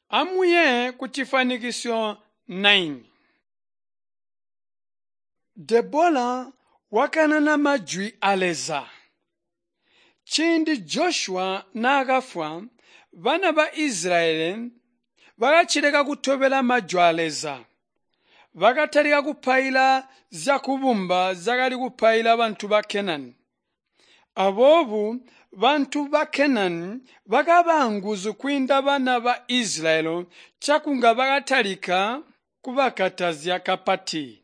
Amuye kucifanikisyo 9. Debola wakanana majwi a Leza. Ciindi Joshua naakafwa, bana ba Israyeli bakacileka kutobela majwi a Leza. Bakatalika kupaila zyakubumba zyakali kupaila bantu ba Kenani. Aboobo bantu ba Kenani bakaba anguzu kwiinda bana ba Israyeli cakunga bakatalika kubakatazya kapati.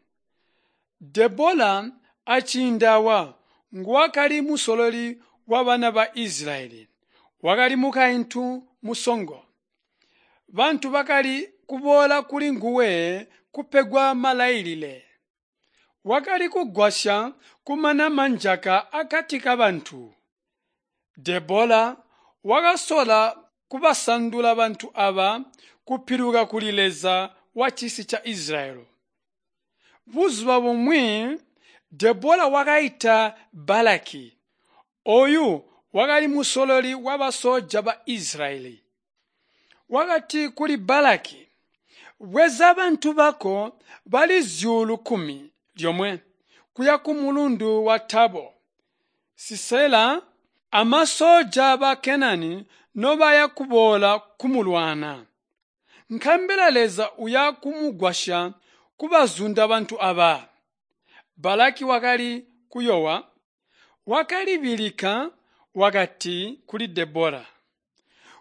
Debola aciindi awa nguwakali musololi wabana ba Israyeli. Wakali mukaintu musongo. Bantu bakali kuboola kulinguwe kupegwa malailile. Wakali kugwasya kumana manjaka akati kabantu. Debola wakasola kubasandula bantu aba kupiluka kuli Leza wacisi ca Israyeli. Buzuba bumwi Debola wakaita Balaki. Ooyu wakali musololi wabasooja ba Israyeli. Wakati kuli Balaki, bweza bantu bako bali 11,000 kuya kumulundu wa Tabo. Sisela amasooja ba Kenani nobaya kuboola kumulwana. Nkabela Leza uya kumugwasya kubazunda bantu aba. Balaki wakali kuyowa, wakalibilika wakati kuli Debola,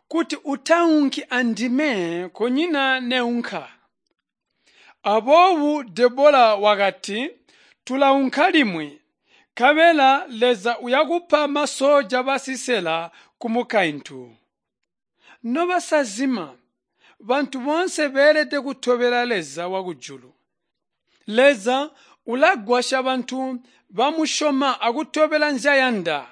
kuti utaunki andime kunyina neunka. Aboobo Debola wakati, tulaunka limwi, nkabela Leza uyakupa masooja ba Sisela kumukaintu. Nobasazima, bantu boonse beelede kutobela Leza wakujulu. Leza ulagwasya bantu bamusyoma akutobela nzyayanda.